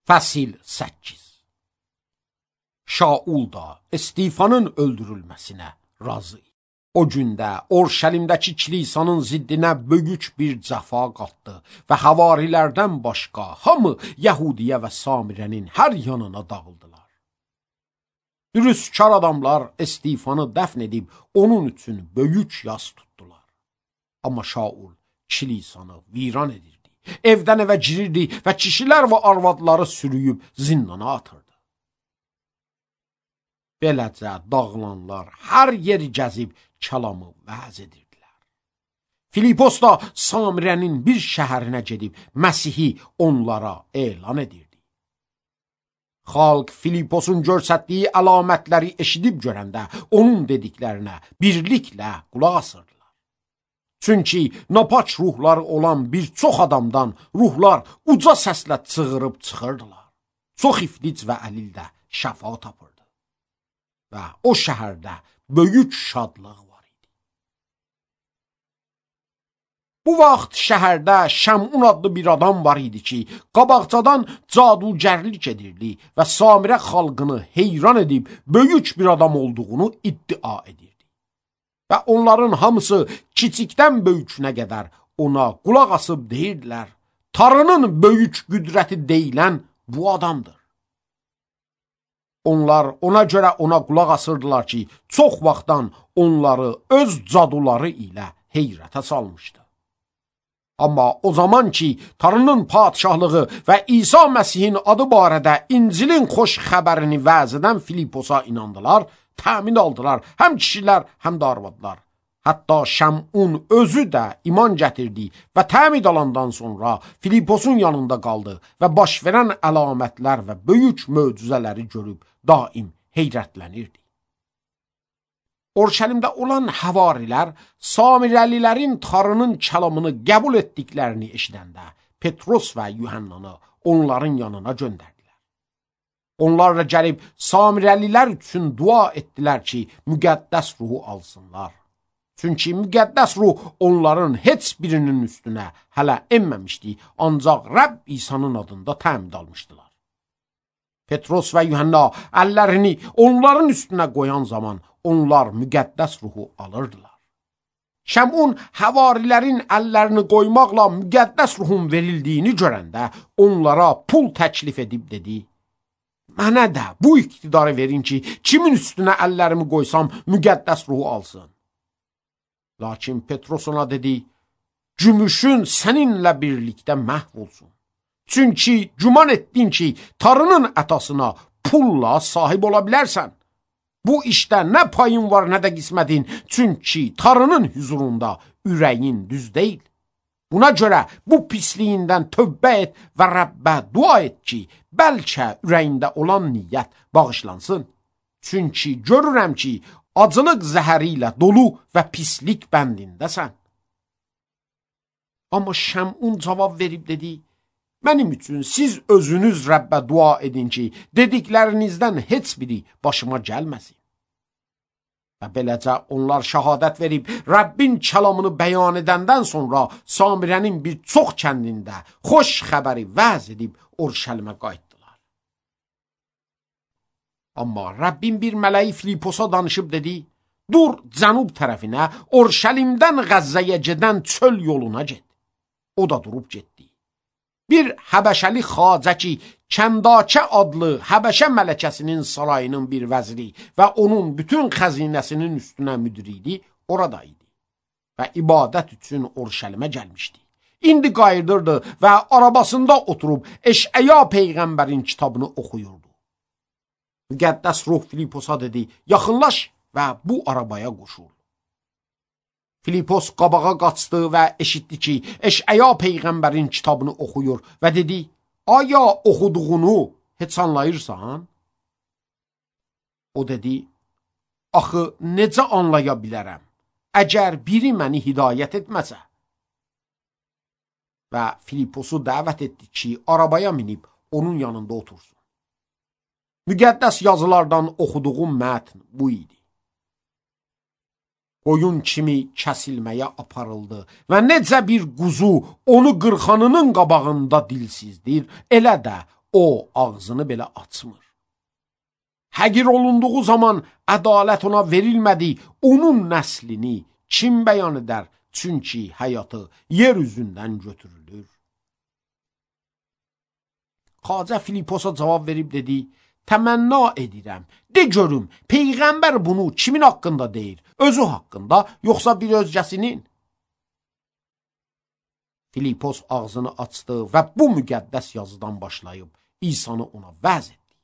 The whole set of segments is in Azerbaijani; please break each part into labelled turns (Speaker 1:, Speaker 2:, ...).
Speaker 1: Fəsil 8. Şaul da Stefanın öldürülməsinə razı. O gündə Orşəlimdəki kilisanın ziddinə böyük bir cəfa qalxdı və havarilərdən başqa hamı Yəhudiyə və Samirənin hər yanına dağıldılar. Dürüstkar adamlar Stefanı dəfn edib onun üçün böyük yas tutdular. Amma Şaul kilisanı viran edirdi, evdən evə girirdi və kişilər və arvadları sürüyüb zindana atırdı. Beləcə dağılanlar hər yeri gəzib kəlamı vəz edirdilər. Filipos da Samirənin bir şəhərinə gedib Məsihi onlara elan edirdi. Xalq Filiposun görsətdiyi əlamətləri eşidib görəndə onun dediklərinə birliklə qulaq asırdılar. Çünki napaç ruhları olan bir çox adamdan ruhlar uca səslə çığırıb çıxırdılar. Çox iflic və əlil də şəfa tapırdı. Və o şəhərdə böyük şadlıq var idi. Bu vaxt şəhərdə Şəmun adlı bir adam var idi ki, qabaqcadan cadugərlik edirdi və Samirə xalqını heyran edib böyük bir adam olduğunu iddia edirdi. Və onların hamısı kiçikdən böyükünə qədər ona qulaq asıb deyirdilər, Tanrının böyük qüdrəti deyilən bu adamdır. Onlar ona görə ona qulaq asırdılar ki, çox vaxtdan onları öz caduları ilə heyrətə salmışdı. Amma o zaman ki, Tanrının padişahlığı və İsa Məsihin adı barədə İncilin xoş xəbərini vəz edən Filiposa inandılar, təmin aldılar, həm kişilər, həm də arvadlar. Hətta Şəmun özü də iman gətirdi və təmin alandan sonra Filiposun yanında qaldı və baş verən əlamətlər və böyük möcüzələri görüb daim heyrətlənirdi. Orşəlimdə olan havarilər Samirəlilərin Tanrının kəlamını qəbul etdiklərini eşidəndə Petros və Yuhannanı onların yanına göndərdilər. Onlarla gəlib Samirəlilər üçün dua etdilər ki, müqəddəs ruhu alsınlar. Çünki müqəddəs ruh onların heç birinin üstünə hələ enməmişdi, ancaq Rəbb İsa'nın adında təmin almışdılar. Petros və Yuhanna əllərini onların üstünə qoyan zaman onlar müqəddəs ruhu alırdılar. Şəmun havarilərin əllərini qoymaqla müqəddəs ruhun verildiyini görəndə onlara pul təklif edib dedi, mənə də bu iqtidarı verin ki, kimin üstünə əllərimi qoysam müqəddəs ruhu alsın. Lakin Petros ona dedi, gümüşün səninlə birlikdə məhv olsun. Çünki güman etdin ki, Tanrının ətasına pulla sahib ola bilərsən. Bu işdə nə payın var, nə də qismətin, çünki Tanrının huzurunda ürəyin düz deyil. Buna görə bu pisliyindən tövbə et və Rəbbə dua et ki, bəlkə ürəyində olan niyyət bağışlansın. Çünki görürəm ki, acılıq zəhəri ilə dolu və pislik bəndindəsən. Amma Şəmun cavab verib dedi, mənim üçün siz özünüz Rəbbə dua edin ki, dediklərinizdən heç biri başıma gəlməsin. Və beləcə onlar şəhadət verib Rəbbin kəlamını bəyan edəndən sonra Samirənin bir çox kəndində xoş xəbəri vəz edib Orşəlimə qayıtdılar. Amma Rəbbin bir mələyi Filiposa danışıb dedi, dur cənub tərəfinə Orşəlimdən Qəzzəyə gedən çöl yoluna get. O da durub getdi. Bir Həbəşəli xacə ki, Kəndakə adlı Həbəşə mələkəsinin sarayının bir vəziri və onun bütün xəzinəsinin üstünə müdiri idi, orada idi və ibadət üçün Orşəlimə gəlmişdi. İndi qayıdırdı və arabasında oturub Eşəya peyğəmbərin kitabını oxuyurdu. Müqəddəs ruh Filiposa dedi, yaxınlaş və bu arabaya qoşul. Filipos qabağa qaçdı və eşitdi ki, Eşəya peyğəmbərin kitabını oxuyur və dedi, aya oxuduğunu heç anlayırsan? O dedi, axı necə anlaya bilərəm, əgər biri məni hidayət etməsə? Və Filiposu dəvət etdi ki, arabaya minib onun yanında otursun. Müqəddəs yazılardan oxuduğum mətn bu idi. Qoyun kimi kəsilməyə aparıldı və necə bir quzu onu qırxanının qabağında dilsizdir, elə də o ağzını belə açmır. Həqir olunduğu zaman ədalət ona verilmədi, onun nəslini kim bəyan edər? Çünki həyatı yer üzündən götürülür. Xacə Filiposa cavab verib dedi, təmənna edirəm, de görüm, Peyğəmbər bunu kimin haqqında deyir? Özü haqqında, yoxsa bir özgəsinin? Filipos ağzını açdı və bu müqəddəs yazıdan başlayıb İsa'nı ona vəz etdi.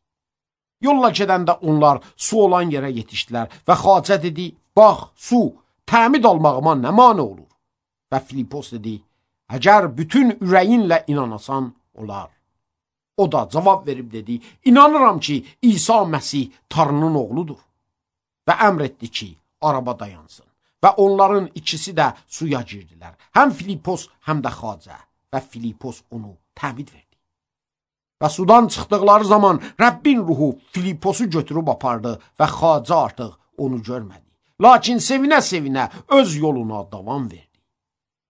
Speaker 1: Yolla gedəndə onlar su olan yerə yetişdilər və xacə dedi, bax, su, təmid almağıma nə mane olur? Və Filipos dedi, əgər bütün ürəyinlə inanasan, olar. O da cavab verib dedi, inanıram ki, İsa Məsih Tanrının oğludur. Və əmr etdi ki, araba dayansın. Və onların ikisi də suya girdilər. Həm Filipos, həm də xacə. Və Filipos onu təmid verdi. Və sudan çıxdıqları zaman Rəbbin ruhu Filiposu götürüb apardı və xacə artıq onu görmədi. Lakin sevinə-sevinə öz yoluna davam verdi.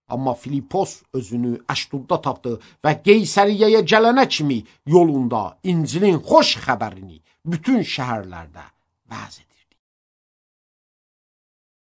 Speaker 1: Amma Filipos özünü Əşdodda tapdı və Qeysəriyyəyə gələnə kimi yolunda İncilin xoş xəbərini bütün şəhərlərdə vəz edirdi.